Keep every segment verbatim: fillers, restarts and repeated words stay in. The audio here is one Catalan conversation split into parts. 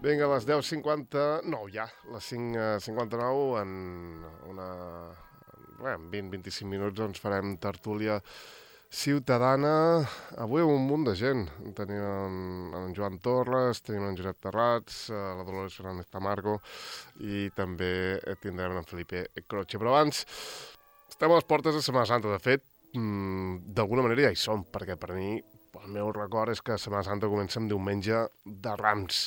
Vinga, a les deu cinquanta-nou ja, les cinc cinquanta-nou, en una... Bé, en vint a vint-i-cinc minuts doncs farem tertúlia ciutadana. Avui amb un munt de gent. Tenim en, en Joan Torres, tenim en Josep Terrats, la Dolores Fernández Tamargo i també tindrem en Felipe Croce. Però abans, estem a les portes de Setmana Santa. De fet, d'alguna manera ja hi som, perquè per mi el meu record és que Setmana Santa comença amb diumenge de Rams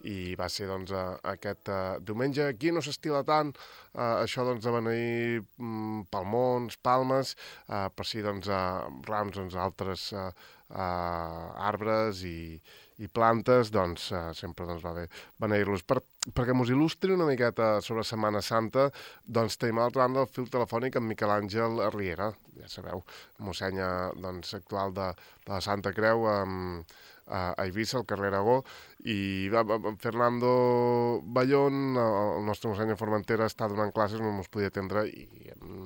i va ser doncs, aquest uh, diumenge. Aquí no s'estila tant uh, això doncs, de beneir um, palmons, palmes, uh, per si doncs, uh, Rams, doncs, altres uh, uh, arbres i, i plantes, doncs uh, sempre doncs, va bé beneir-los. Per, perquè mos il·lustri una miqueta sobre Setmana Santa, doncs tenim a l'altra banda el fil telefònic amb Miquel Àngel Riera, ja sabeu, mossenya doncs, actual de, de la Santa Creu amb, a Eivissa, al carrer Aragó, i va, va, Fernando Ballón, el nostre mosseny a Formentera, està donant classes, no ens podia atendre, i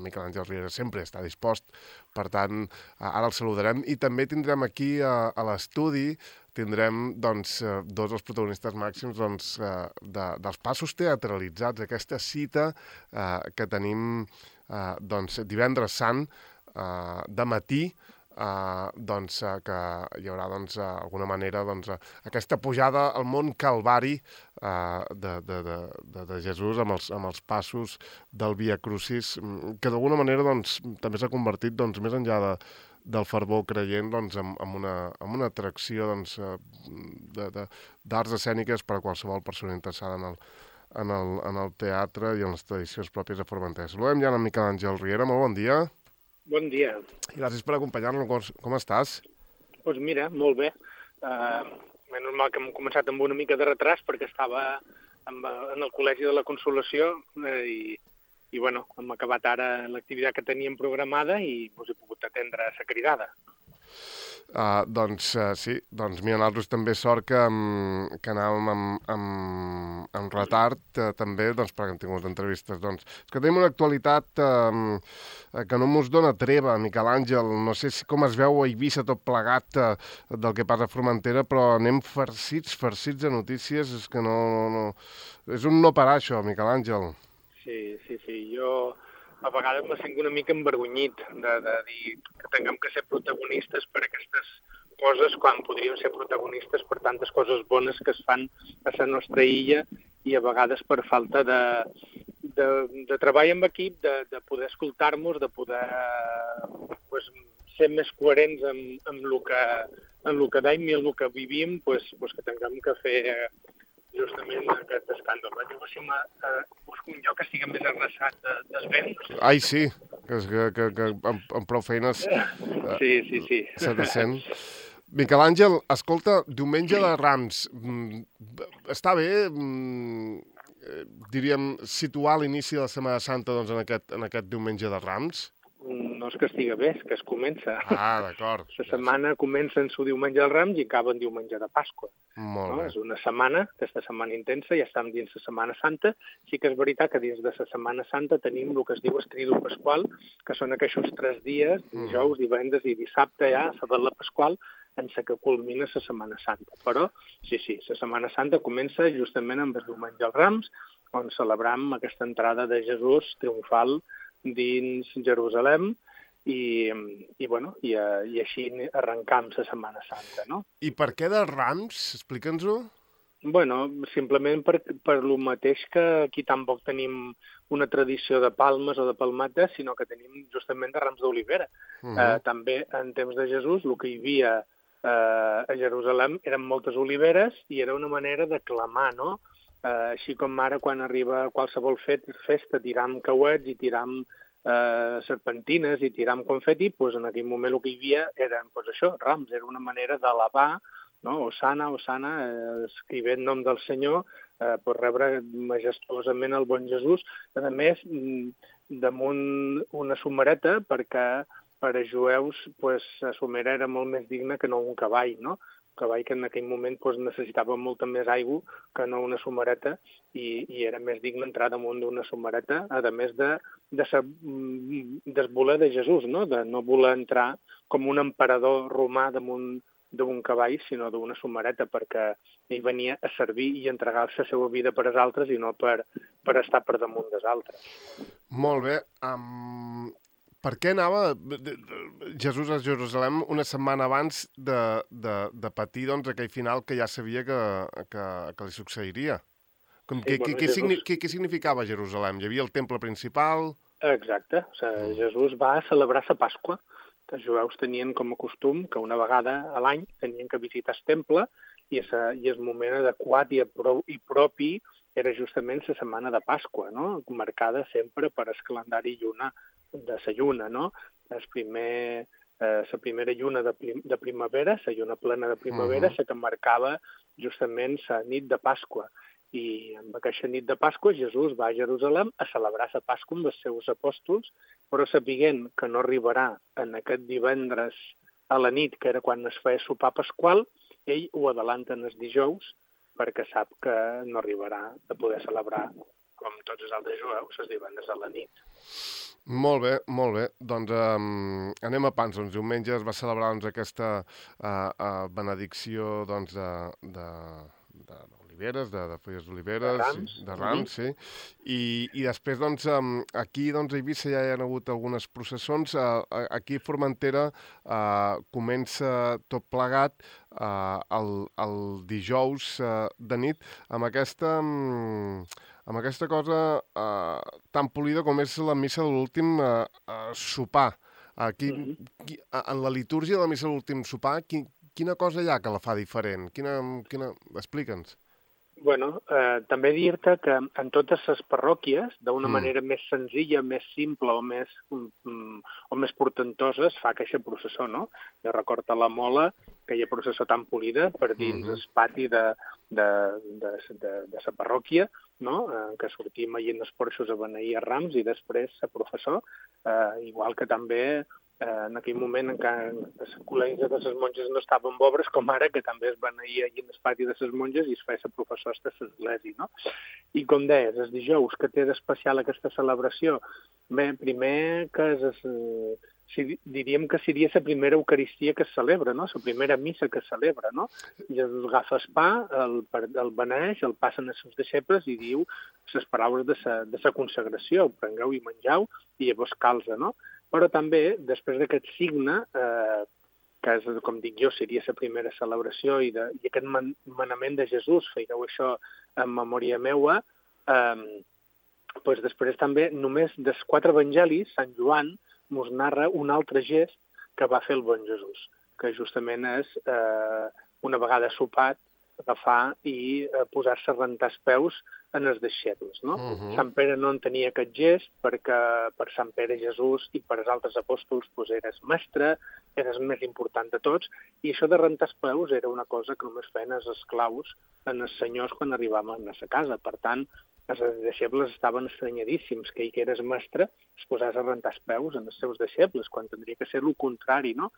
Miquel Àngel Riera sempre està dispost. Per tant, ara el saludarem. I també tindrem aquí a, a l'estudi, tindrem doncs, dos dels protagonistes màxims doncs, de, dels passos teatralitzats, aquesta cita eh, que tenim eh, doncs, divendres sant, eh, de matí, Uh, doncs, uh, que hi haurà doncs, uh, alguna manera doncs, uh, aquesta pujada al món Calvari uh, de, de, de, de, de Jesús amb els, amb els passos del Via Crucis, que d'alguna manera doncs, també s'ha convertit doncs, més enllà de, del fervor creient doncs, en, en, una, en una atracció doncs, de, de, d'arts escèniques per a qualsevol persona interessada en el, en, el, en el teatre i en les tradicions pròpies de Formentera. Saludem ja en Miquel Àngel Riera, molt bon dia. Bon dia. I gràcies per acompanyar-nos. Com, com estàs? Doncs pues mira, molt bé. Uh, és normal que hem començat amb una mica de retras perquè estava amb, en el Col·legi de la Consolació eh, i, i bueno, hem acabat ara l'activitat que teníem programada i us he pogut atendre a sa cridada. Uh, doncs uh, sí, doncs mira, nosaltres també sort que, um, que anàvem amb, amb, amb retard uh, també, doncs perquè hem tingut entrevistes. Doncs és que tenim una actualitat uh, que no mos dona treva, Miquel Àngel. No sé si, com es veu a Eivissa tot plegat uh, del que passa a Formentera, però anem farcits, farcits de notícies. És que no, no, no... És un no parar, això, Miquel Àngel. Sí, sí, sí. Jo a vegades me sento una mica envergonyit de, de dir que tinguem que ser protagonistes per aquestes coses quan podríem ser protagonistes per tantes coses bones que es fan a la nostra illa i a vegades per falta de, de, de treball en equip, de, de poder escoltar-nos, de poder pues, ser més coherents amb, amb el que, amb el que dèiem i amb el que vivim, pues, pues que tinguem que fer justament aquest escàndol. Jo si me, eh, busco un lloc que estigui més arrasat de, desvent. Ai, sí, que, que, que, que amb, amb prou feines eh, sí, sí, sí. se te sent. Miquel Àngel, escolta, diumenge de Rams, està bé, diríem, situar l'inici de la Setmana Santa doncs, en, aquest, en aquest diumenge de Rams? No és que estiga bé, és que es comença. Ah, d'acord. La setmana comença en su diumenge del Rams i acaba en diumenge de Pasqua. Molt no? bé. És una setmana, aquesta setmana intensa, ja estem dins la Setmana Santa. Sí que és veritat que dins de la Setmana Santa tenim el que es diu Estridu Pasqual, que són aquests tres dies, dijous, divendres i dissabte ja, la Vetla Pasqual, en la que culmina la Setmana Santa. Però, sí, sí, la Setmana Santa comença justament amb el diumenge dels Rams, on celebram aquesta entrada de Jesús triomfal dins Jerusalem, i, i, bueno, i, i així arrencam la Setmana Santa, no? I per què de Rams? Explica'ns-ho. Bueno, simplement per, per lo mateix que aquí tampoc tenim una tradició de palmes o de palmetes, sinó que tenim justament de rams d'olivera. Uh -huh. eh, també en temps de Jesús el que hi havia eh, a Jerusalem eren moltes oliveres i era una manera de clamar, no? Eh, així com ara quan arriba qualsevol festa tiram cauets i tiram eh, serpentines i tiram confeti, doncs en aquell moment el que hi havia eren doncs això, rams, era una manera d'alabar, no? Osana, Osana, eh, escrivent nom del Senyor, eh, per rebre majestuosament el bon Jesús. A més, damunt una somereta, perquè per a jueus pues, la somera era molt més digna que no un cavall, no? Un cavall que en aquell moment pues, necessitava molta més aigua que no una somereta i, i era més digne entrar damunt d'una somereta, a més de, de ser des voler de Jesús, no? De no voler entrar com un emperador romà damunt d'un cavall, sinó d'una somareta, perquè ell venia a servir i entregar-se la seva vida per als altres i no per, per estar per damunt dels altres. Molt bé. Um, per què anava Jesús a Jerusalem una setmana abans de, de, de patir doncs, aquell final que ja sabia que, que, que li succeiria? Com, sí, què, bueno, què, Jesús... què, què significava Jerusalem? Hi havia el temple principal? Exacte. O sigui, Jesús va a celebrar la Pasqua. Els jueus tenien com a costum que una vegada a l'any tenien que visitar el temple i, esa, i el moment adequat i, pro, i propi era justament la setmana de Pasqua, no? Marcada sempre per el calendari lluna de la lluna, no? El primer, eh, la primera lluna de, prim, de primavera, la lluna plena de primavera, uh -huh. la que marcava justament la nit de Pasqua. I amb aquesta nit de Pasqua Jesús va a Jerusalem a celebrar la Pasqua amb els seus apòstols, però sapiguent que no arribarà en aquest divendres a la nit, que era quan es feia sopar pasqual, ell ho adelanta en els dijous perquè sap que no arribarà a poder celebrar, com tots els altres jueus, els divendres a la nit. Molt bé, molt bé. Doncs um, anem a pans. Doncs diumenge es va celebrar doncs, aquesta uh, uh, benedicció doncs, de... de, de oliveres, de, de fulles d'oliveres, de rams, de rams, sí. I, i després, doncs, aquí doncs, a Eivissa ja hi ha hagut algunes processons. Aquí a Formentera eh, comença tot plegat eh, el, el dijous eh, de nit amb aquesta, amb aquesta cosa eh, tan polida com és la missa de l'últim eh, eh, sopar. Aquí, mm -hmm. en la litúrgia de la missa de l'últim sopar, qui, quina cosa hi ha que la fa diferent? Quina, quina... Explica'ns. Bueno, eh, també dir-te que en totes les parròquies, d'una mm. manera més senzilla, més simple o més, um, o més portentosa, es fa aquesta processó, no? Jo recordo a la Mola, aquella processó tan polida per dins mm-hmm. el pati de, de, de, de, de la parròquia, no? Eh, que sortim allà en els porxos a beneir a Rams i després a professor, eh, igual que també eh, en aquell moment encara els col·legis de les monges no estaven obres, com ara, que també es beneïa allà en el pati de les monges i es feia la professor de l'església, no? I com deies, els dijous, que té d'especial aquesta celebració? Bé, primer que és... Eh, si, diríem que seria la primera Eucaristia que es celebra, no? La primera missa que es celebra, no? Jesús agafa el pa, el, el beneix, el passen als seus deixebles i diu les paraules de sa, de sa consagració, prengueu i menjau, i llavors calza, no? Però també, després d'aquest signe, eh, que és, com dic jo, seria la primera celebració, i, de, i aquest man, manament de Jesús, feieu això en memòria meua, eh, doncs després també, només dels quatre evangelis, Sant Joan mos narra un altre gest que va fer el bon Jesús, que justament és, eh, una vegada sopat, agafar i eh, posar-se a rentar els peus en els deixebles, no? Uh-huh. Sant Pere no en tenia aquest gest perquè per Sant Pere Jesús i per als altres apòstols pues, eres mestre, eres el més important de tots, i això de rentar els peus era una cosa que només feien els esclaus en els senyors quan arribaven a sa casa. Per tant, els deixebles estaven estranyadíssims que ell, que era mestre, es posés a rentar els peus en els seus deixebles, quan tindria que ser el contrari, no?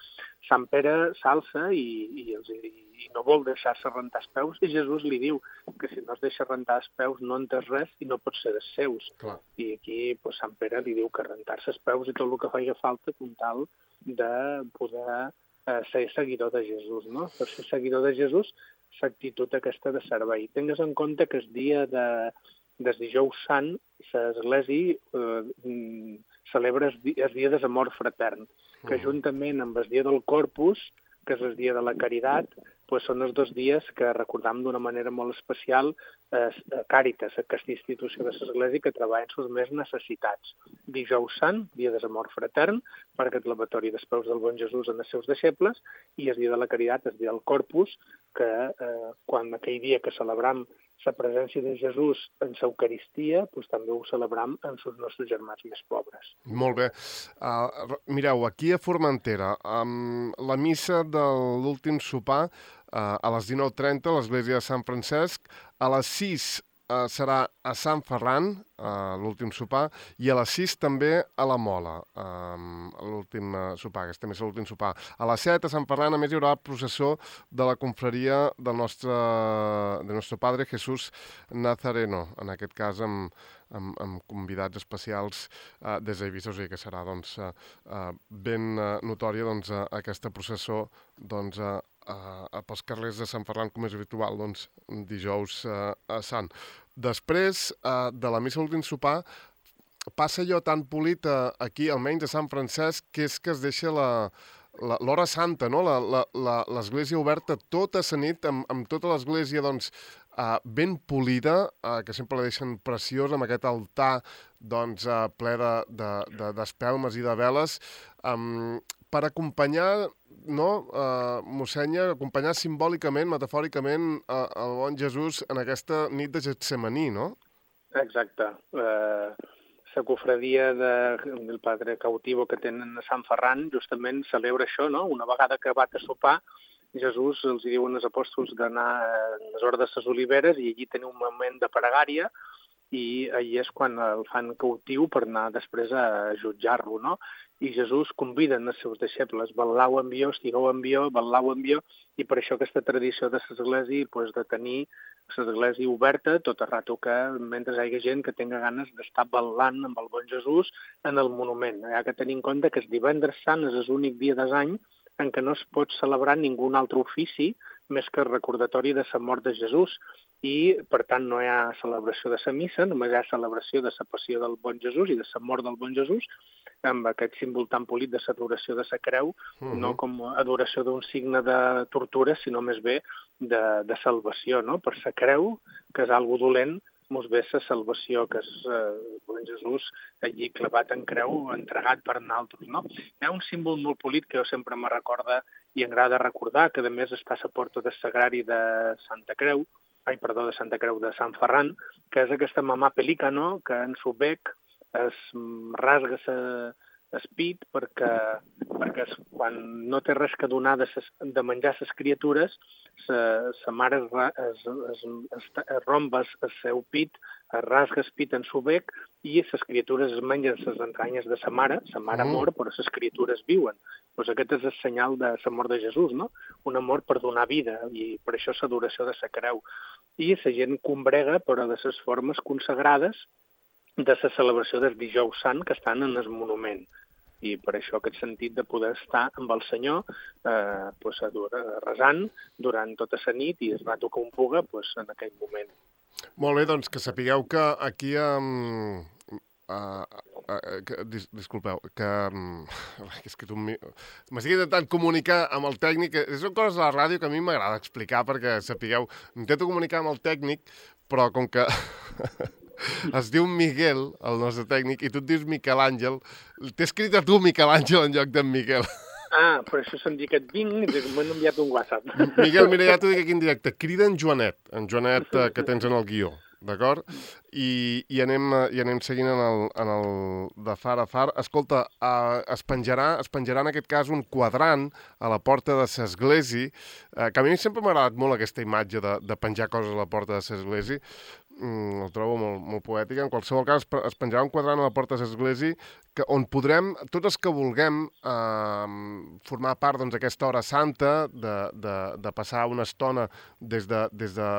Sant Pere s'alça i, i, els, i no vol deixar-se rentar els peus, i Jesús li diu que si no es deixa rentar els peus no entès res i no pot ser dels seus. Clar. I aquí pues, Sant Pere li diu que rentar-se els peus i tot el que feia falta com tal de poder eh, ser seguidor de Jesús, no? Per ser seguidor de Jesús, l'actitud aquesta de servei. Tingues en compte que el dia de des dijous sant, l'Església eh, celebra el dia, el dia de l'amor fratern, que juntament amb el dia del Corpus, que és el dia de la caritat, pues són els dos dies que recordam d'una manera molt especial eh, Càritas, aquesta institució de l'Església que treballa en les més necessitats. Dijous sant, dia de l'amor fratern, per aquest lavatori dels peus del bon Jesús en els seus deixebles, i el dia de la caritat, el dia del Corpus, que eh, quan aquell dia que celebram la presència de Jesús en l'Eucaristia, doncs també ho celebram amb els nostres germans més pobres. Molt bé. Uh, mireu, aquí a Formentera, um, la missa de l'últim sopar uh, a les dinou trenta a l'església de Sant Francesc, a les sis uh, serà a Sant Ferran, uh, l'últim sopar, i a les sis també a la Mola, um, l'últim uh, sopar, aquesta missa l'últim sopar. A les set a Sant Ferran, a més, hi haurà el processó de la confraria del nostre, del nostre Padre Jesús Nazareno, en aquest cas amb, amb, amb convidats especials uh, des d'Eivissa, o sigui que serà doncs, uh, uh, ben uh, notòria doncs, uh, aquesta processó doncs, uh, a, pels carrers de Sant Ferran, com és habitual, doncs, dijous uh, a Sant. Després uh, de la missa a l'últim sopar, passa allò tan polit uh, aquí, almenys a Sant Francesc, que és que es deixa la... l'hora santa, no? L'església oberta tota la nit, amb, amb tota l'església doncs, uh, ben polida, uh, que sempre la deixen preciosa, amb aquest altar doncs, uh, ple d'espelmes de, de, i de veles, um, per acompanyar, no, uh, mossènyer, acompanyar simbòlicament, metafòricament, uh, el bon Jesús en aquesta nit de Getsemaní, no? Exacte. Uh... La cofradia de, del Padre Cautivo que tenen a Sant Ferran justament celebra això, no? Una vegada que va a sopar, Jesús els diuen als apòstols d'anar a les hordes de les oliveres i allí tenir un moment de pregària i allí és quan el fan cautiu per anar després a jutjar-lo, no? I Jesús convida els seus deixebles, vetllau amb jo, estigueu amb jo, vetllau amb jo, i per això aquesta tradició de l'església pues, de tenir l'església oberta tot el rato que, mentre hi hagi gent que tenga ganes d'estar ballant amb el bon Jesús en el monument. Hi ha que tenir en compte que el divendres sant és l'únic dia de l'any en què no es pot celebrar ningú altre ofici més que el recordatori de la mort de Jesús i, per tant, no hi ha celebració de la missa, només hi ha celebració de la passió del bon Jesús i de la mort del bon Jesús, amb aquest símbol tan polit de l'adoració de la creu, uh-huh. no com adoració d'un signe de tortura, sinó més bé de, de salvació, no? Per la creu, que és algo dolent, mos ve la salvació, que és eh, bon Jesús allí clavat en creu, entregat per nosaltres, no? Hi ha un símbol molt polit que jo sempre me recorda i m'agrada recordar, que a més està a la porta del Sagrari de Santa Creu, ai, perdó, de Santa Creu de Sant Ferran, que és aquesta mamà pelícano que en su bec es rasga el pit perquè, perquè quan no té res que donar de, ses, de menjar a les criatures, sa mare es, es, es, es romba el seu pit, es rasga el pit en su bec i les criatures es mengen les entranyes de sa mare, sa mare mor però les criatures viuen. Pues aquest és el senyal de la mort de Jesús, no? Un amor per donar vida i per això l'adoració de la creu. I la gent combrega però de les formes consagrades de la celebració del dijous sant que estan en el monument. I per això aquest sentit de poder estar amb el Senyor eh, pues, resant durant tota la nit i el rato que un puga pues, en aquell moment. Molt bé, doncs que sapigueu que aquí... Um, uh, uh, que, dis, disculpeu, que... Um, és que tu m'estic intentant comunicar amb el tècnic. Són coses de la ràdio que a mi m'agrada explicar perquè sapigueu... Intento comunicar amb el tècnic, però com que... Es diu Miguel, el nostre tècnic, i tu et dius Miquel Àngel. T'he escrit a tu Miquel Àngel en lloc d'en Miquel. Ah, per això se'm dic que et vinc i m'han enviat un WhatsApp. Miguel, mira, ja t'ho dic aquí en directe. Crida en Joanet, en Joanet eh, que tens en el guió, d'acord? I, i, anem, i anem seguint en el, en el de far a far. Escolta, eh, es, penjarà, es penjarà en aquest cas un quadrant a la porta de l'església, eh, que a mi sempre m'ha agradat molt aquesta imatge de, de penjar coses a la porta de l'església. Mm, el trobo molt, molt poètica. En qualsevol cas, es penjarà un quadrant a la porta de l'església que, on podrem, tots els que vulguem, eh, formar part doncs, d'aquesta hora santa, de, de, de passar una estona des de, des de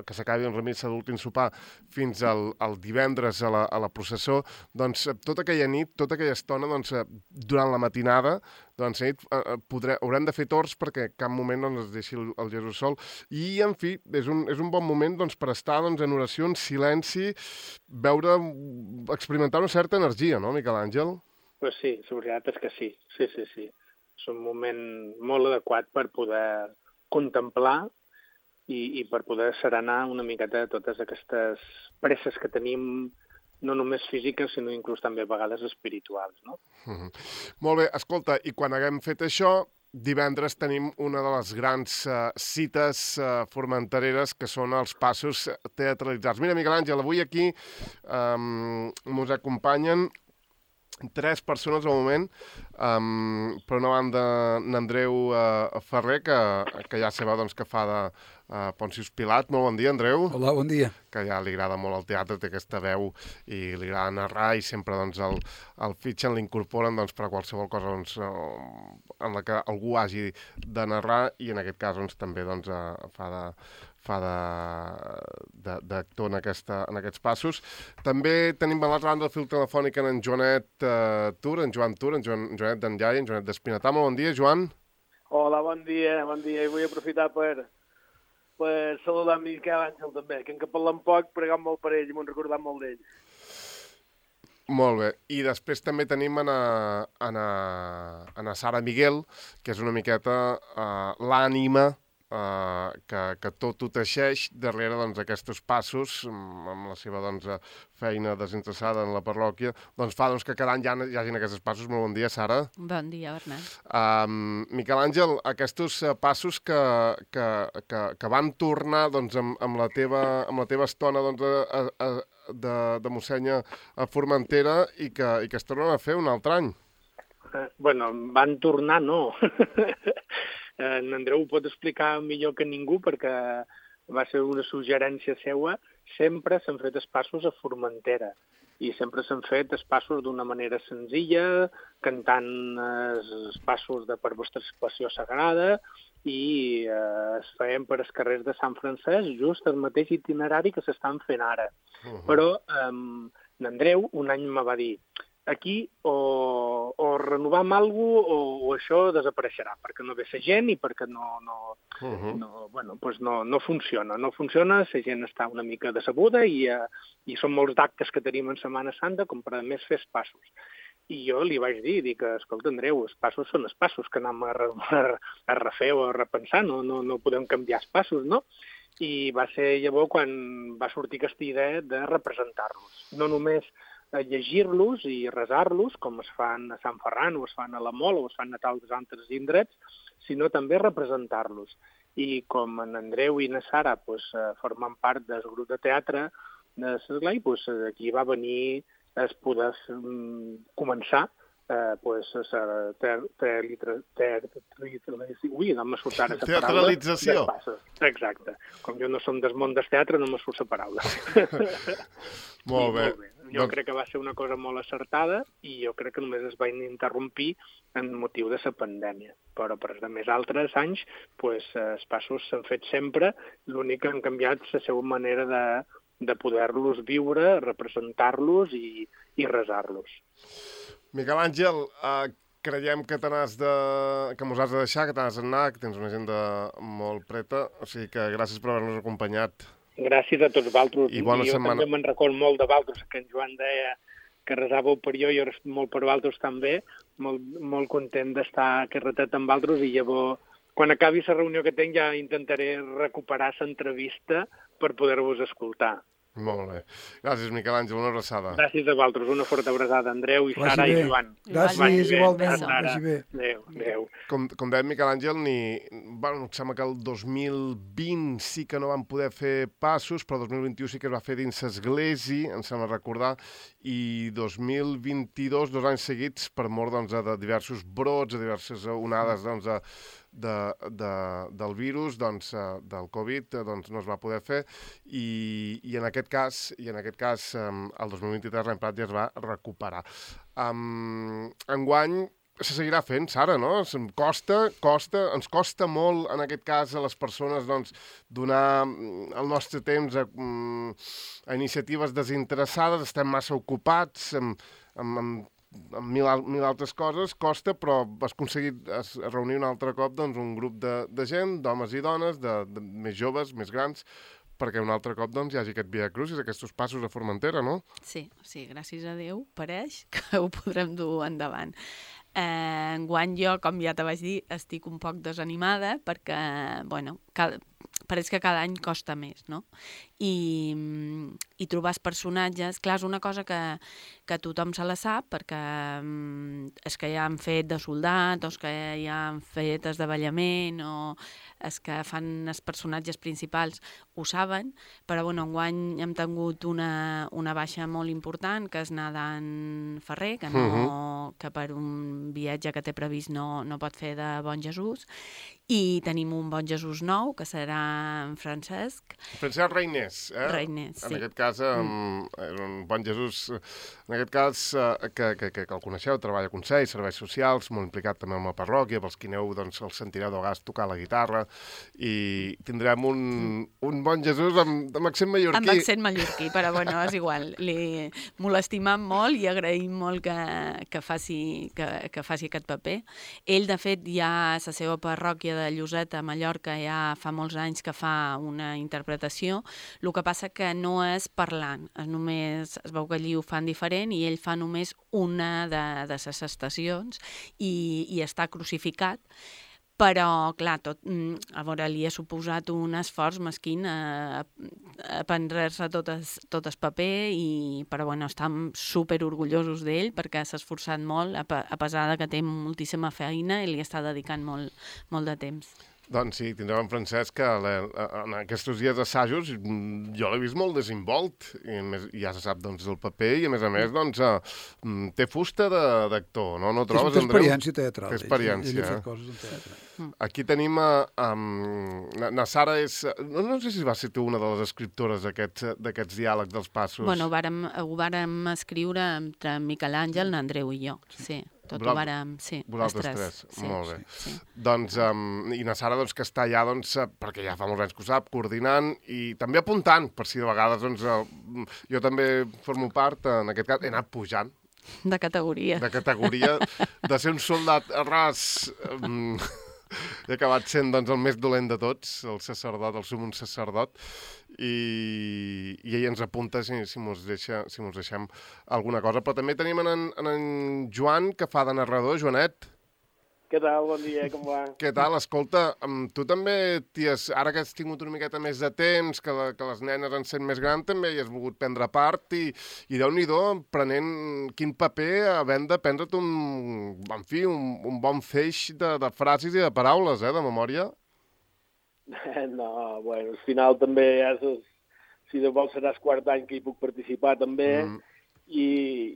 que s'acabi la missa de l'últim sopar fins al, al divendres a la, a la processó, doncs tota aquella nit, tota aquella estona, doncs, durant la matinada, doncs, nit, eh, podré, haurem de fer torns perquè cap moment doncs, es deixi el, el Jesús sol. I, en fi, és un, és un bon moment doncs, per estar doncs, en oració, en silenci, veure, experimentar una certa energia, no, Miquel Àngel? Pues sí, la veritat és que sí. Sí, sí, sí. És un moment molt adequat per poder contemplar i, i per poder serenar una miqueta de totes aquestes presses que tenim, no només físiques, sinó inclús també a vegades espirituals, no? Mm-hmm. Molt bé, escolta, i quan haguem fet això, divendres tenim una de les grans uh, cites uh, formentereres que són els passos teatralitzats. Mira, Miquel Àngel, avui aquí um, ens acompanyen tres persones al moment. Um, per una banda, n'Andreu uh, Ferrer, que, que ja sabeu doncs, que fa de uh, Pontius Pilat. Molt bon dia, Andreu. Hola, bon dia. Que ja li agrada molt el teatre, té aquesta veu i li agrada narrar i sempre doncs, el, el fitxen, l'incorporen doncs, per a qualsevol cosa doncs, en la que algú hagi de narrar i en aquest cas doncs, també doncs, uh, fa de... fa d'actor en, aquesta, en aquests passos. També tenim a l'altra banda del fil telefònic en Joanet uh, Tur, en Joan Tur, en Joan, Joanet d'en Llai, en Joanet d'Espinatà. Molt bon dia, Joan. Hola, bon dia, bon dia. I vull aprofitar per, per saludar en Miquel Àngel també, que en que parlem poc, pregat molt per ell i m'ho hem recordat molt d'ell. Molt bé. I després també tenim en a, en a, en a Sara Miguel, que és una miqueta uh, l'ànima uh, que, que tot ho teixeix darrere doncs, aquests passos, amb la seva doncs, feina desinteressada en la parròquia, doncs fa doncs, que cada any hi, ha, hi hagin aquests passos. Molt bon dia, Sara. Bon dia, Bernat. Um, Miquel Àngel, aquests uh, passos que, que, que, que van tornar doncs, amb, amb, la teva, amb la teva estona doncs, a, a, de, de mossènyer a Formentera i que, i que es tornen a fer un altre any. Eh, bueno, van tornar, no. En Andreu ho pot explicar millor que ningú perquè va ser una suggerència seua. Sempre s'han fet espassos a Formentera i sempre s'han fet espassos d'una manera senzilla, cantant els passos de per vostra situació sagrada i eh, es feien per els carrers de Sant Francesc, just el mateix itinerari que s'estan fent ara. Uh-huh. Però eh, l'Andreu un any me va dir aquí o, o renovam alguna cosa o, o això desapareixerà, perquè no ve la gent i perquè no, no, uh-huh. no, bueno, pues no, no funciona. No funciona, la gent està una mica decebuda i, eh, i són molts d'actes que tenim en Setmana Santa com per a més fer passos. I jo li vaig dir, dic, escolta, Andreu, els passos són els passos que anem a, a, a refer o a repensar, no, no, no podem canviar els passos, no? I va ser llavors quan va sortir aquesta idea de representar-los. No només llegir-los i resar-los, com es fan a Sant Ferran o es fan a la Mol o es fan a tals altres indrets, sinó també representar-los. I com en Andreu i na Sara pues, formen part del grup de teatre de l'Esglai, pues, aquí va venir es poder um, començar eh, pues, a teatralització. Ui, no me surt ara la paraula. Teatralització. Exacte. Com jo no som del món del teatre, no me surt la paraula. Molt bé. Molt bé. Jo doncs... crec que va ser una cosa molt acertada i jo crec que només es va interrompir en motiu de la pandèmia. Però per als més altres anys, pues, els passos s'han fet sempre, l'únic que han canviat la seva manera de de poder-los viure, representar-los i, i resar-los. Miquel Àngel, uh, creiem que t'anàs de... que mos has de deixar, que t'anàs d'anar, que tens una agenda molt preta, o sigui que gràcies per haver-nos acompanyat. Gràcies a tots vosaltres. I bona jo setmana. També me'n record molt de vosaltres, que en Joan deia que resàveu per jo, i jo molt per vosaltres també, molt, molt content d'estar carretet amb vosaltres, i llavors, quan acabi la reunió que tinc, ja intentaré recuperar l'entrevista per poder-vos escoltar. Molt bé. Gràcies, Miquel Àngel, una abraçada. Gràcies a vosaltres, una forta abraçada, Andreu i Sara i Joan. Gràcies, igualment. Adéu, adéu. Com, com deia Miquel Àngel, ni... bueno, em sembla que el dos mil vint sí que no van poder fer passos, però el dos mil vint-i-u sí que es va fer dins l'església, em sembla recordar, i dos mil vint-i-dos, dos anys seguits, per mort doncs, de diversos brots, de diverses onades doncs, de, de, de, del virus, doncs, del Covid, doncs, no es va poder fer, i, i en aquest cas, i en aquest cas el dos mil vint-i-tres l'any passat ja es va recuperar. Um, enguany se seguirà fent, Sara, no? Costa, costa, ens costa molt, en aquest cas, a les persones, doncs, donar el nostre temps a, a iniciatives desinteressades, estem massa ocupats amb, amb, amb, amb mil, mil altres coses, costa, però has aconseguit es, reunir un altre cop doncs, un grup de, de gent, d'homes i dones, de, de més joves, més grans, perquè un altre cop doncs, hi hagi aquest Via Crucis, aquests passos a Formentera, no? Sí, sí, gràcies a Déu, pareix que ho podrem dur endavant. Eh, enguany jo, com ja te vaig dir, estic un poc desanimada perquè, bueno, cada, pareix que cada any costa més, no? I, i trobar els personatges... Clar, és una cosa que, que tothom se la sap, perquè um, és que ja han fet de soldat, o és que ja han fet esdavallament, o és que fan els personatges principals, ho saben, però bueno, enguany hem tingut una, una baixa molt important, que és Nadan Ferrer, que, no, uh-huh. que per un viatge que té previst no, no pot fer de Bon Jesús, i tenim un Bon Jesús nou, que serà en Francesc. Francesc Reiners, eh? Reiners, sí. En aquest cas, um, és un Bon Jesús, en aquest cas, uh, que, que, que, que el coneixeu, treballa a Consell, serveis socials, molt implicat també amb la parròquia, pels qui aneu, doncs, el sentireu de vegades tocar la guitarra, i tindrem un, un bon Jesús amb, amb accent mallorquí. Amb accent mallorquí, però bueno, és igual. Li, m'ho l'estimam molt i agraïm molt que, que, faci, que, que faci aquest paper. Ell, de fet, ja a la seva parròquia de Lloseta, a Mallorca, ja fa molts anys que fa una interpretació. El que passa que no és parlant, és només, es veu que allí ho fan diferent i ell fa només una de, de les estacions i, i està crucificat. Però, clar, tot, a veure, li ha suposat un esforç mesquín a, a prendre-se tot, es, tot el paper, i, però bueno, estem super orgullosos d'ell perquè s'ha esforçat molt, a, a pesar de que té moltíssima feina i li està dedicant molt, molt de temps. Doncs sí, tindrem en Francesc que en aquests dies d'assajos jo l'he vist molt desinvolt, i més, ja se sap doncs, el paper, i a més a més doncs, uh, té fusta d'actor, no? No trobes, Andreu? Té experiència teatral. Té experiència. Ell, ell ha fet coses en teatre. Aquí tenim a... Um, na Sara és... No, no sé si va ser tu una de les escriptores d'aquests diàlegs dels passos. Bueno, vàrem, ho vàrem escriure entre Miquel Àngel, l'Andreu i jo, sí. Tot ho vàrem, sí, vosaltres tres. Sí, molt bé. Sí, sí. Doncs, um, i na Sara, doncs, que està allà, doncs, perquè ja fa molts anys que ho sap, coordinant i també apuntant, per si de vegades, doncs, uh, jo també formo part, en aquest cas, he anat pujant. De categoria. De categoria, de ser un soldat ras... Um, he acabat sent, doncs, el més dolent de tots, el sacerdot, el sumum sacerdot, i, i ell ens apunta si, si mos deixa, si mos deixem alguna cosa. Però també tenim en, en, en Joan, que fa de narrador. Joanet. Què tal? Bon dia, com va? Què tal? Escolta, tu també, ties, ara que has tingut una miqueta més de temps, que, la, que les nenes han sent més grans, també hi has volgut prendre part, i, i Déu-n'hi-do, prenent quin paper, havent de prendre't un, en fi, un, un bon feix de, de frases i de paraules, eh, de memòria. No, bueno, al final també ja és, si de vol seràs quart any que hi puc participar també, mm. i,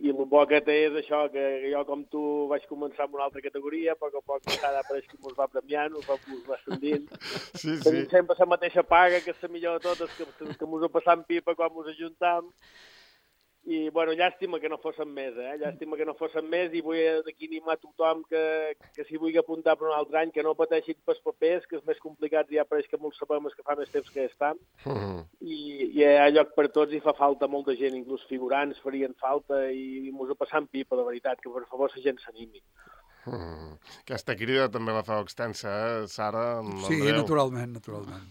i el bo que té és això, que jo com tu vaig començar amb una altra categoria, a poc a poc cada apareix que ens va premiant, ens va, va ascendint. Sí, sí. Tenim sempre la mateixa paga, que és la millor de totes, que, que, que ens ho passam pipa quan ens ajuntam. I, bueno, llàstima que no fossin més, eh? Llàstima que no fossin més, i vull d'aquí animar tothom que, que s'hi vulgui apuntar per un altre any, que no pateixin pels papers, que és més complicat, ja pareix que molts sabem que fa més temps que estan. Mm. I, i hi ha lloc per tots i fa falta molta gent, inclús figurants farien falta, i mos ho passam pipa, de veritat, que per favor la gent s'animi. Mm. Aquesta crida també la fa extensa, eh, Sara? Sí, naturalment, naturalment.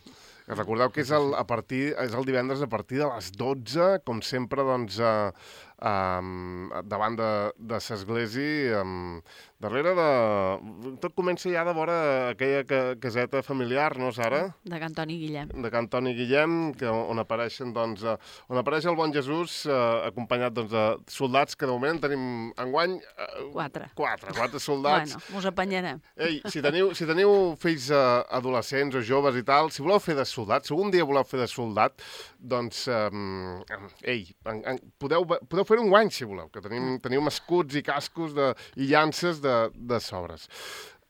Recordeu que és el, a partir, és el divendres a partir de les dotze, com sempre, doncs, uh, um, davant de, de l'església, um, darrere de... Tot comença ja de vora aquella ca, caseta familiar, no, Sara? De Can Toni Guillem. De Can Toni Guillem, que, on apareixen, doncs, uh, on apareix el bon Jesús, uh, acompanyat, doncs, de soldats, que de moment tenim enguany... Uh, quatre. Quatre, quatre soldats. Bueno, us apanyarem. Ei, si teniu, si teniu fills uh, adolescents o joves i tal, si voleu fer de soldat, si algun dia voleu fer de soldat, doncs, um, ei, en, en, podeu, podeu fer un guany, si voleu, que tenim, tenim escuts i cascos de, i llances de, de sobres.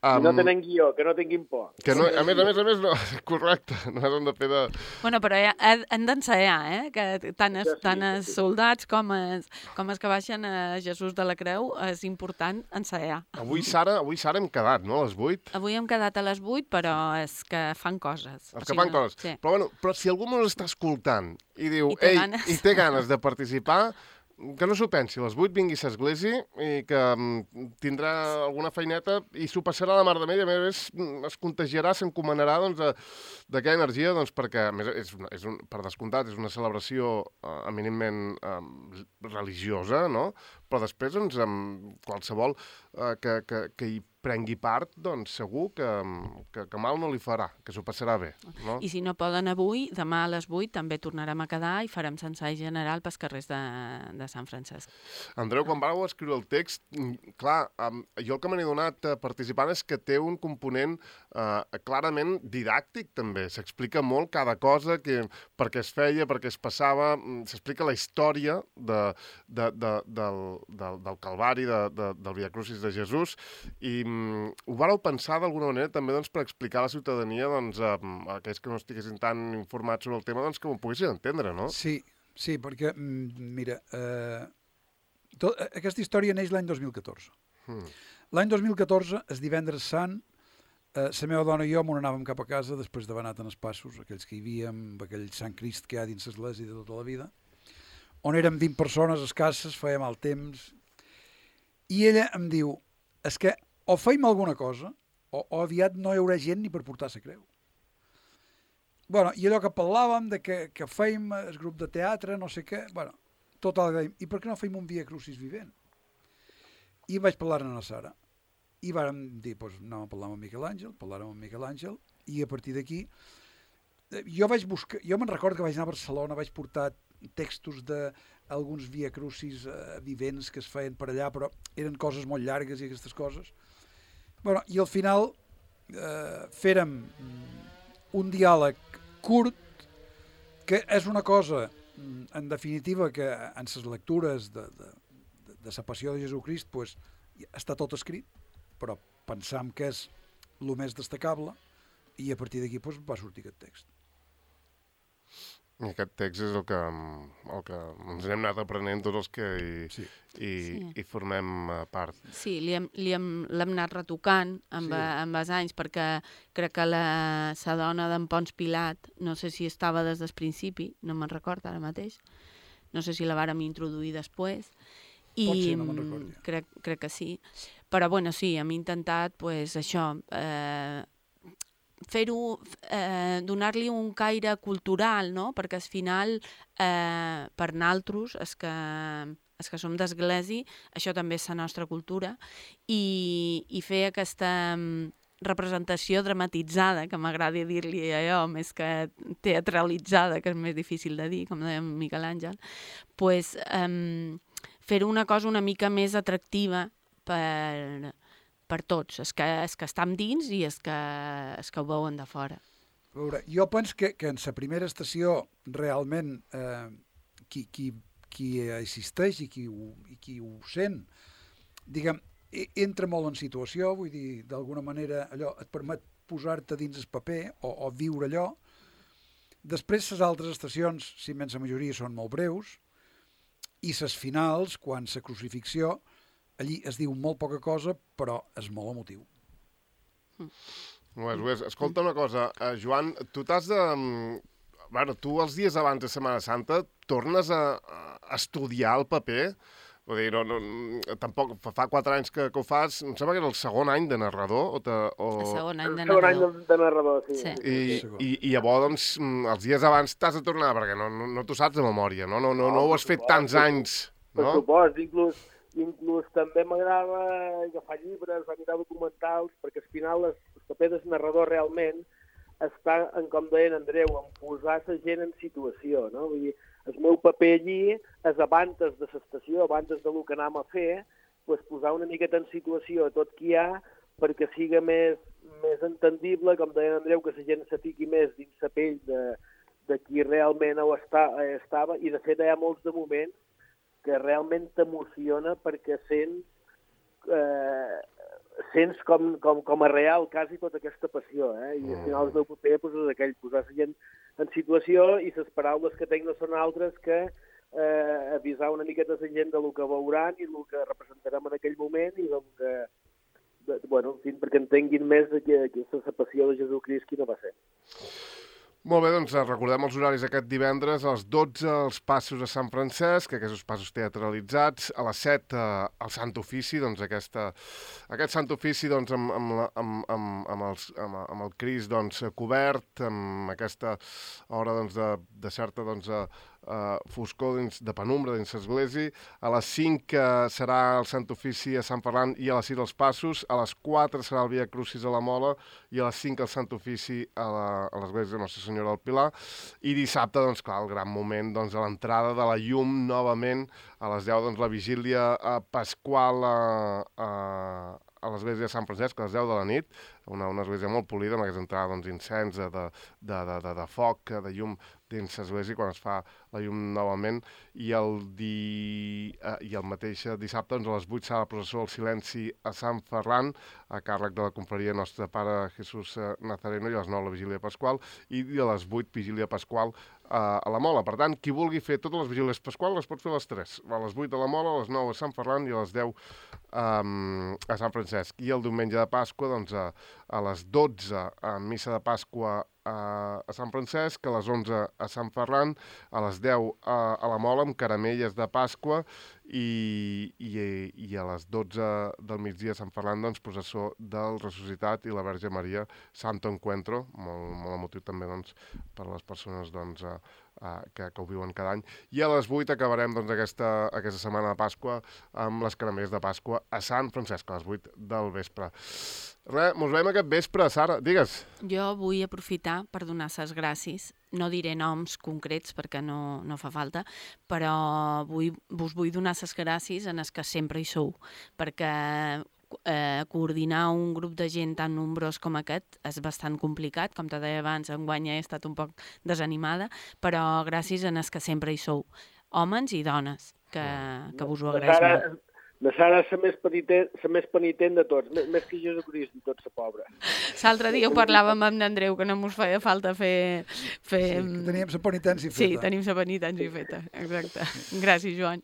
Um, no tenen guió, que no tinguin por. Que no, a més, a més, a més, no, correcte, no hem de fer de... Bueno, però ja, han d'ensaiar, eh? Que tant els, tant els soldats com els, com els que baixen a Jesús de la Creu és important ensaiar. Avui, Sara, avui, Sara, hem quedat, no?, a les vuit? Avui hem quedat a les vuit, però és que fan coses. Els que fan no, coses. Sí. Però, bueno, però si algú ens està escoltant i diu, I té ei, ganes. i té ganes de participar, que no s'ho pensi, a les vuit vingui a l'església i que um, tindrà alguna feineta i s'ho passarà la mar de mella, a més es contagiarà, s'encomanarà doncs, d'aquella energia, doncs, perquè a més, és, una, és un, per descomptat és una celebració uh, eminentment um, religiosa, no? Però després doncs, um, qualsevol uh, que, que, que hi prengui part, doncs segur que, que, que mal no li farà, que s'ho passarà bé. No? I si no poden avui, demà a les vuit també tornarem a quedar i farem l'ensai general pels carrers de, de Sant Francesc. Andreu, quan vau escriure el text, clar, um, jo el que me n'he donat uh, participant és que té un component uh, clarament didàctic també. S'explica molt cada cosa, que, per què es feia, per què es passava, s'explica la història de, de, de, del, del, del Calvari, de, de, del Via Crucis de Jesús, i ho vareu pensar d'alguna manera també doncs, per explicar a la ciutadania, doncs, a, a aquells que no estiguessin tan informats sobre el tema, doncs, que ho poguessin entendre, no? Sí, sí, perquè, mira, eh, tot, aquesta història neix l'any dos mil catorze. Hmm. L'any dos mil catorze, el divendres sant, eh, la meva dona i jo m'on anàvem cap a casa després d'haver anat en els passos, aquells que hi havíem, aquell Sant Crist que hi ha dins l'església de tota la vida, on érem vint persones escasses, feia mal temps, i ella em diu, és que o feim alguna cosa, o, o aviat no hi haurà gent ni per portar la creu. Bueno, i allò que parlàvem de que, que feim el grup de teatre, no sé què, bueno, total, i per què no feim un Via Crucis vivent? I vaig parlar amb la Sara. I vàrem dir, doncs, anàvem a parlar amb Miquel Àngel, parlàrem amb Miquel Àngel, i a partir d'aquí, jo vaig buscar, jo me'n recordo que vaig anar a Barcelona, vaig portar textos d'alguns Via Crucis eh, vivents que es feien per allà, però eren coses molt llargues i aquestes coses. Bueno, i al final eh, fèrem un diàleg curt, que és una cosa, en definitiva, que en les lectures de, de, de, de la passió de Jesucrist pues, està tot escrit, però pensam que és el més destacable i a partir d'aquí pues, va sortir aquest text. I aquest text és el que, el que ens hem anat aprenent tots els que hi, sí. hi, sí. hi formem part. Sí, li hem, li hem, l'hem anat retocant amb, sí. amb els anys, perquè crec que la, la dona d'en Pons Pilat, no sé si estava des del principi, no me'n recordo ara mateix, no sé si la vàrem introduir després, i Pot ser, no me'n recordo. Crec, crec que sí. Però, bueno, sí, hem intentat, pues, això, eh, fer-ho, eh, donar-li un caire cultural, no? Perquè al final, eh, per naltros, els que, els que som d'església, això també és la nostra cultura, i, i fer aquesta representació dramatitzada, que m'agrada dir-li allò, més que teatralitzada, que és més difícil de dir, com deia Miquel Àngel, pues, eh, fer una cosa una mica més atractiva per, per tots, els que, els que estan dins i els que, els que ho veuen de fora. A veure, jo penso que, que en la primera estació realment eh, qui, qui, qui assisteix i qui, ho, i qui ho sent, diguem, entra molt en situació, vull dir, d'alguna manera allò et permet posar-te dins el paper o, o viure allò. Després les altres estacions, si menys la majoria són molt breus, i les finals, quan la crucifixió, allí es diu molt poca cosa, però és molt emotiu. Mm. Ho és, ho és. Escolta una cosa, uh, Joan, tu t'has de... Bueno, tu els dies abans de Setmana Santa tornes a, a estudiar el paper? Vull dir, no, no, tampoc, fa quatre anys que, que ho fas, em sembla que era el segon any de narrador, o... Te, o... El segon any de narrador. El segon any de, de narrador, sí. sí. I, i, I llavors, doncs, els dies abans t'has de tornar, perquè no, no, no t'ho saps de memòria, no? No, no, no, no ho has fet tants anys, no? Per supost, inclús, inclús també m'agrada agafar llibres, mirar documentals, perquè al final el paper del narrador realment està, en com deia Andreu, en posar la gent en situació, no? Vull dir, el meu paper allí és abans de l'estació, abans del que anem a fer, pues, posar una miqueta en situació tot qui hi ha perquè siga més, més entendible, com deia Andreu, que la gent se fiqui més dins la pell de, de qui realment ho està, estava, i de fet hi ha molts de moments que realment t'emociona perquè sents, eh, sents com, com, com a real quasi tota aquesta passió, eh? I al final el meu paper pues, és aquell, posar la gent en situació, i les paraules que tenc no són altres que eh, avisar una miqueta la gent del que veuran i del que representarem en aquell moment i del que, de, bueno, en fi, perquè entenguin més que, que la passió de Jesucrist quina va ser. Molt bé, doncs recordem els horaris aquest divendres, a les dotze els passos a Sant Francesc, aquests passos teatralitzats, a les set el Sant Ofici, doncs aquesta, aquest Sant Ofici doncs, amb, amb, la, amb, amb, amb, els, amb, amb el Crist doncs, cobert, amb aquesta hora doncs, de, de certa doncs, uh, foscor dins, de penumbra dins l'església. A les cinc uh, serà el Sant Ofici a Sant Ferran i a les sis els passos, a les quatre serà el Via Crucis a la Mola i a les cinc el Sant Ofici a l'església de Nostra Senyora del Pilar, i dissabte, doncs, clar, el gran moment doncs, a l'entrada de la llum, novament, a les deu, doncs, la vigília eh, pasqual a, a, a l'església de Sant Francesc, a les deu de la nit, una, una església molt polida, amb aquesta entrada doncs, incens, de, de, de, de, de foc, de llum dins l'església, quan es fa la llum novament, i el, di... eh, i el mateix dissabte, doncs, a les vuit serà la processó del silenci a Sant Ferran, a càrrec de la confraria Nostre Pare Jesús Nazareno, i a les nou la vigília pasqual, i a les vuit vigília pasqual a, a la Mola. Per tant, qui vulgui fer totes les vigílies pasquals les pot fer a les tres. A les vuit a la Mola, a les nou a Sant Ferran i a les deu um, a Sant Francesc. I el diumenge de Pasqua, doncs, a, a les dotze a missa de Pasqua a, a Sant Francesc, a les onze a Sant Ferran, a les deu a, a la Mola amb caramelles de Pasqua i, i, i a les dotze del migdia a Sant Ferran, doncs, processó del Ressuscitat i la Verge Maria, Santo Encuentro, molt, molt emotiu també, doncs, per a les persones, doncs, a, a, que, que ho viuen cada any. I a les vuit acabarem, doncs, aquesta, aquesta setmana de Pasqua amb les caramelles de Pasqua a Sant Francesc, a les vuit del vespre. Res, mos veiem aquest vespre, Sara, digues. Jo vull aprofitar per donar ses gràcies. No diré noms concrets perquè no, no fa falta, però vull, vos vull donar ses gràcies en els que sempre hi sou, perquè eh, coordinar un grup de gent tan nombrós com aquest és bastant complicat. Com te deia abans, enguany he estat un poc desanimada, però gràcies en els que sempre hi sou, homes i dones, que, que vos ho agraeix molt. La Sara és la més penitent, la més penitent de tots, més, més que Jesucrist i tot la pobra. L'altre dia ho parlàvem amb n'Andreu, que no mos feia falta fer... fer... Sí, que teníem la penitència feta. Sí, tenim la penitència feta, exacte. Gràcies, Joan.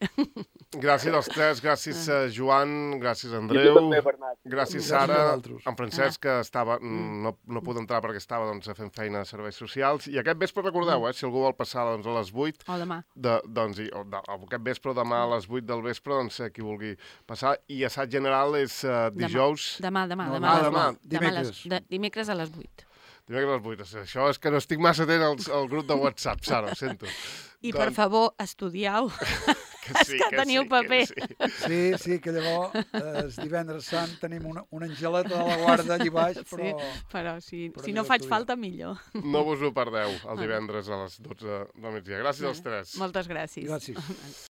Gràcies als tres, gràcies a Joan, gràcies a Andreu, també, Bernat. gràcies Sara, en Francesc, que estava, no, no puc entrar perquè estava doncs, fent feina a serveis socials, i aquest vespre recordeu, eh, si algú vol passar doncs, a les vuit, o demà, de, doncs, i, o, de, o aquest vespre o demà a les vuit del vespre, doncs qui vulgui passar, i assaig general és uh, dijous... Demà, demà, demà, no, demà, demà, demà, demà dimecres. Les, de, dimecres a les vuit. Dimecres a les vuit, això és que no estic massa atent al, al grup de WhatsApp, Sara, ho sento. I doncs... per favor, estudiau. Que sí, que, que teniu sí, paper. Que sí. sí, sí, que llavors eh, el divendres sant tenim una, una angeleta de la guarda allí baix, però... Sí, però si, però si no faig falta, millor. No vos ho perdeu, el divendres a les dotze del migdia. Gràcies als tres. Moltes gràcies. Gràcies.